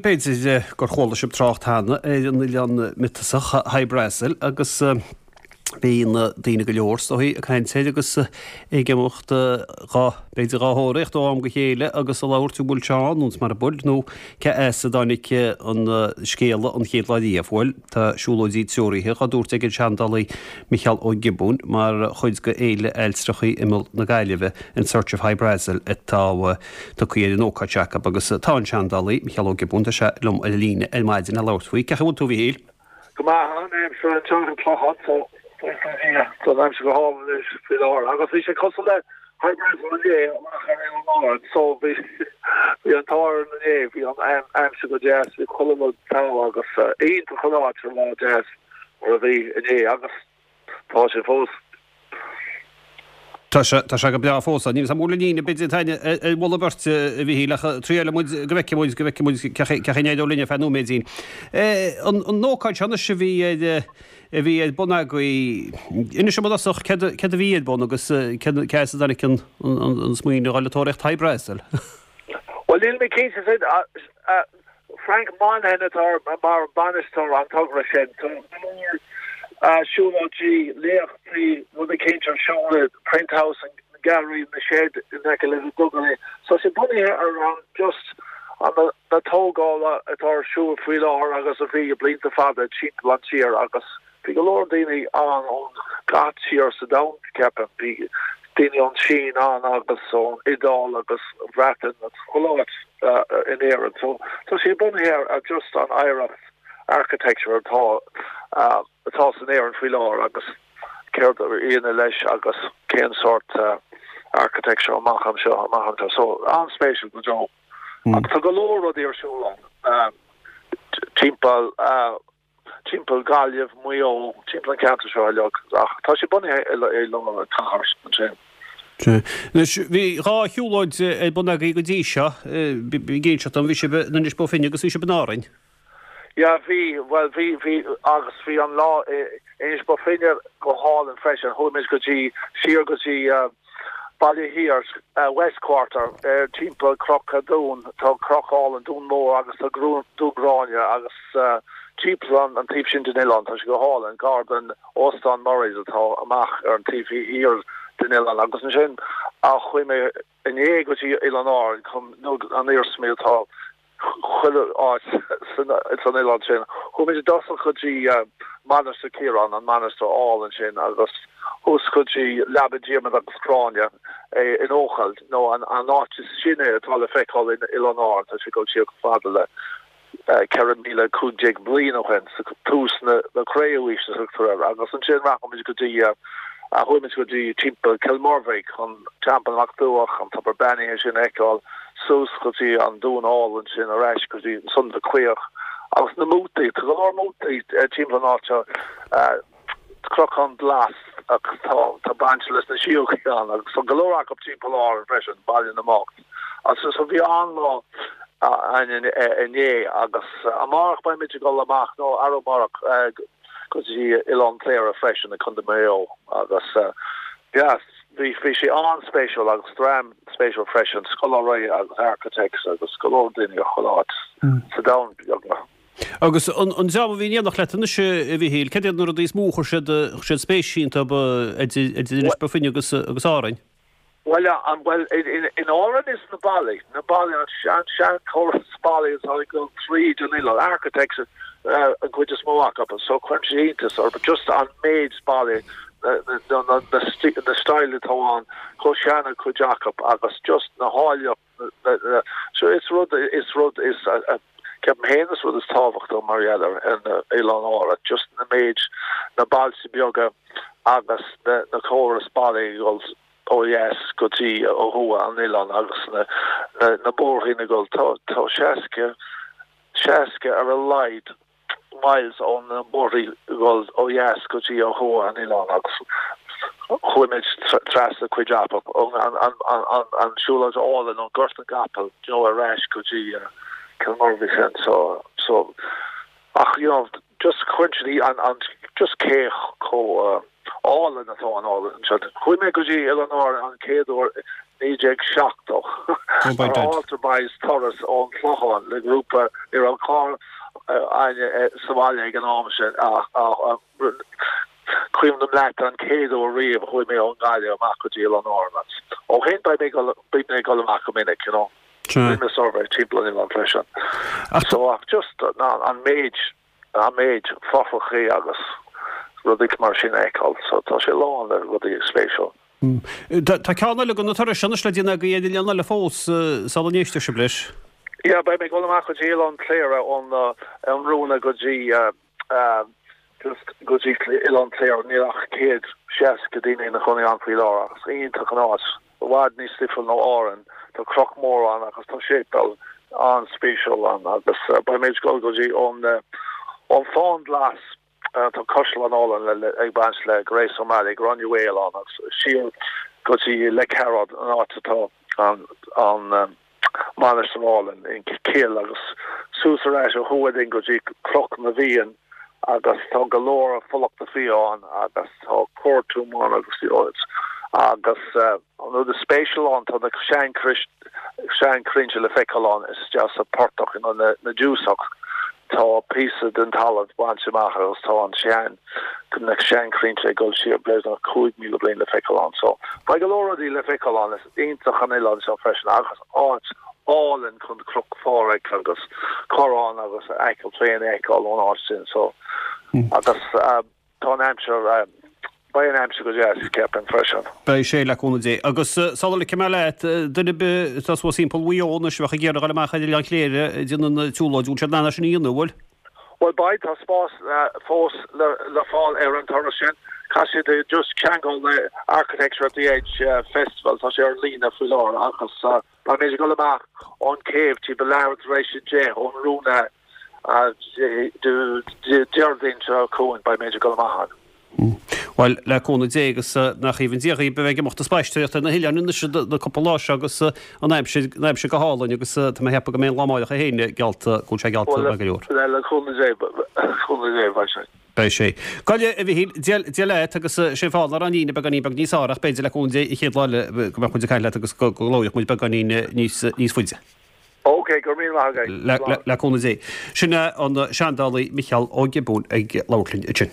B'fhéidir gur chuala sibh trácht cheana ar an oileán miotasach Hy Brasil agus bíonn daoine go leor is dóigh ag caint air agus ag imeacht dhá, b'fhéidir dhá thóraíocht ó am go chéile agus ag labhairt an bhfuil sé ann nó mara bhfuil nó cé as a dtáinig an scéala an chéad lá riamh. Bhuel, tá siúlóidí treoraithe dhá dtabhairt ag an seandálaí Micheál Ó Giobúin mar chuid de Fhéile Ailtireachta Imeall na Gaillimhe, In Search of Hy Brasil atá tugtha ar an ócáid seo acu agus tá an seandálaí, Micheál Ó Giobúin, tá sé liom ar an líne ar maidin le labhairt faoi. Cén chaoi a bhfuil tú, a Mhichíl? Go maith, an aimsir anseo sa Chlochán so buíochas le Dia tá an aimsir go hálainn anois faoi láthair agus bhí sé cosúil le Hy Brasil inné amach ar Oileán Árann so bhí bhí an t-ádh orainn inné, bhí an aimsir go deas, bhí chuile rud togha agus iontach an áit ar lá deas mar a bhí inné agus tá sé fós. Tá sé, tá sé go breá fós. Níl 'fhios a'm an bhfuil an líne, b'fhéidir, againn ar mholadh beirte, a Mhichíl, ach triailfidh muid go bhfeicfidh muid, go bhfeicfidh muid cé chaoi a n-éireoidh linn ar feadh nóiméidín. An, an ócáid seo anois a bhí ar, a bhí ar bun agaibh, inis dom i dtosach céard, céard a bhí ar bun agus cé, cé as a dtáinig an, an, an smaoineamh a dhul ag tóraíocht Hy Brasil? Bhuel, níl mé cinnte, Frank Monaghan atá mar bhainisteoir an togra sin. Tá go leor siúlóidí, léachtaí, rud eicínt ar siúl i Print House, an Gallery, na Shed in aice le na duganna. So tá sé bunaithe ar an just an na tógála atá ar siúl faoi láthair agus a bhí blianta fada timpeall an tír agus Bhí go leor daoine ann ón gach tír sa domhan, ceapaim. Bhí daoine ón tSín ann agus ón Iodáil agus an Bhreatain agus chuile áit in Éirinn. So tá sé bunaithe ar just an oidhreacht architecture atá atá san Éirinn faoi láthair agus céard a dhéanamh leis agus cén sórt architecture amach anseo amach anseo. So an-spéisiúil go deo. Ach tá go leor rudaí ar siúl ann timpeall timpeall Gaillimh, Maigh Eo, timpeall an cheantair seo uilig, ach tá sé bunaithe i lár an chathair ansin. Anois, bhí 2 shiúlóid ar bun agaibh go dtí seo, ag inseacht dom, bhí sibh in Inis Bó Finne agus bhí sibh in Árainn. Yeah, bhí, bhuel, bhí, bhí, agus bhí an lá i Inis Bó Finne go hálainn freisin, chuaigh muid go dtí, siar go dtí, Baile Thiar, West Quarter, timpeall Cnoc an Dúin, tá cnoc álainn, Dún Mór agus tá Dún Gráinne agus timpeall an taobh sin den oileán, tá sé go hálainn, gar don Óstán Murray's atá amach ar an taobh thiar den oileán agus ansin chuaigh mé inné go dtí Oileán Árann chun an iarsmaí atá chuile áit san oileán sin. Chuaigh muid i dtosach go dtí Mainistir Chiaráin, an mainistir álainn sin, agus thuas go dtí Leaba Diarmaid agus Gráinne in Eochaill, nó an áit is sine atá le feiceáil in Oileán Árann, tá sé ag dul siar chomh fada le 14,015 bliain ó shin, tús na Cré-umhaoise a thugtar air, agus ansin rachaidh muid go dtí chuaigh muid go dtí timpeall Cill Mhuirbhigh chun Teampall Mac Duach, an tobar beannaithe sin a fheiceáil. suas go dtí an dún álainn sin, ar ais go dtí an na Claíoch agus na mótaí. Tá go leor mótaí timpeall an áit seo, Cnocán Glas agus tá tá baint leis na síógaí ann agus tá go leor acu timpeall Árann freisin, Baile na mBocht. Agus so bhí an-lá againn inné agus amárach beimid ag dul amach nó arú amárach go dtí Oileán Cléire freisin i Contae Mhaigh Eo agus yeah bhí bhí sé an-spéisiúil agus dream spéisiúil freisin, scoláirí agus architects agus go leor daoine ó chuile áit sa domhan beagnach. Agus an dream a bhí in éineacht leat anois, a Mhichíl, cad iad na rudaí is mó a chuir siad, chuir siad spéis iontu idir Inis Bó Finne agus, agus Árainn? Bhuel, an, bhuel, in Árainn is na ballaí, na ballaí, an sean, seanchóras ballaí atá ag dul tríd an oileán, architects an chuid is mó acu, so cuireann sé iontas orthu just an méid ballaí na style atá ann, chomh sean an chuid acu agus just na háilleacht, so is rud, is rud, is, ceapaim féin is rud is tábhachtach mar gheall ar na Oileán Árann, just na méid, na bailte beaga agus na na córas ballaí ag dul ó dheas go dtí ó thuaidh an oileán agus na na bóithríní ag dul, tá tá 60, 60 ar a laghad miles ó na bóithrí ag dul ó dheas go dtí ó thuaidh an oileán agus chuaigh muid trasna cuid acu, an siúlóid álainn ón Gort na gCapall you know ar ais go dtí Cill Mhuirbhigh sin so so ach you know just cuireann siad an an just cé chomh. Álainn atá an oileán seo. Chuaigh mé go dtí Oileán Árann an chéad uair i 1970 ar Altar Boys turas ón Chlochán le grúpa, ní raibh carr againne sa bhaile ag an am sin ach cuimhním leat an chéad uair riamh a chuaigh mé ón nGaillimh amach go dtí Oileán Árann agus ó shin beidh mé ag dul, bím ag dul amach go minic, you know. Rinne mé suirbhé timpeall an oileáin freisin. So ach just an méid an méid fothrachaí agus rudaí mar sin a fheiceáil. So tá sé lán le rudaí spéisiúil. Tá ceann eile de na turais anois le déanamh agaibh ar oileán eile fós sula n-éistfidh sibh leis. Yeah, beidh mé ag dul amach go dtí Oileán Cléire ón Roonagh go dtí just go dtí Oileán Cléire. Níl ach 160 daoine ina chónaí ann faoi láthair ach is iontach an áit. I bhfad níos difriúil nó Árainn. Tá cnoc mór ann agus tá séipéal an-spéisiúil ann agus beidh mé ag dul go dtí ón ón Fán Glas, tá caisleán álainn ag baint le Grace O'Malley, Granuaile ann agus siar go dtí Leic Cearáid, an áit atá an an mainistir álainn in Cill agus suas ar ais ó thuaidh linn go dtí Cnoc na bhFiann agus tá go leor fulachta fia ann agus tá courtroom ann agus agus an rud is spéisiúil ann tá na seanchrainnte le feiceáil ann isteach sa portach you know na dtiúsach tá píosa den talamh bainte amach agus tá an sean na seanchrainnte ag dul siar beagnach 5,000 bliain le feiceáil ann so beidh go leor rudaí le feiceáil ann is iontach an oileán seo freisin agus áit álainn chun Cnoc Phádraig agus Corrán agus Acaill féin a fheiceáil ón áit sin so agus tá an aimsir beidh an aimsir go deas ceapaim freisin. Beidh sé le cúnamh Dé. Agus sula ligfidh mé leat, duine ar bith atá suas thimpeall Mhaigh Eo anois a bheadh ag iarraidh a dhul amach ar Oileán Chléire ag déanamh na siúlóide, bhfuil siad in ann é sin a dhéanamh, an bhfuil? Bhuel beidh, tá spás fós le fáil ar an turas sin. Caithfidh siad just ceangal le Architecture at the Edge Festival, tá sé ar líne faoi láthair agus beimid ag dul amach ón céibh timpeall leathuair tar éis 10 ón Roonagh Déardaoin seo chugainn, beimid ag dul amach ann. Bhuel, le cúnamh Dé agus nach aoibhinn Dia dhaoibh a bheith ag imeacht ag spaisteoireacht ar na hoileáin anois na cúpla lá seo agus an aimsir, an aimsir go hálainn agus tá mé ag ceapadh go mbeidh an lá amáireach é féin geallta, go bhfuil sé geallta maith go leor. Bhuel, le cúnamh Dé, le cúnamh Dé, beidh sé. Beidh sé. Gabh a Mhichíl, Dia, Dia leat agus sé an fáth nach raibh an líne beagáinín beag níos fearr ach b'fhéidir le cúnamh Dé an chéad lá eile go mbeadh muid ag caint leat agus go labhródh muid beagáinín níos, níos faide. Ok, go raibh míle maith agat. Le, le cúnamh Dé. Sin é an seandálaí Micheál Ó Giobúin ag labhairt linn ansin.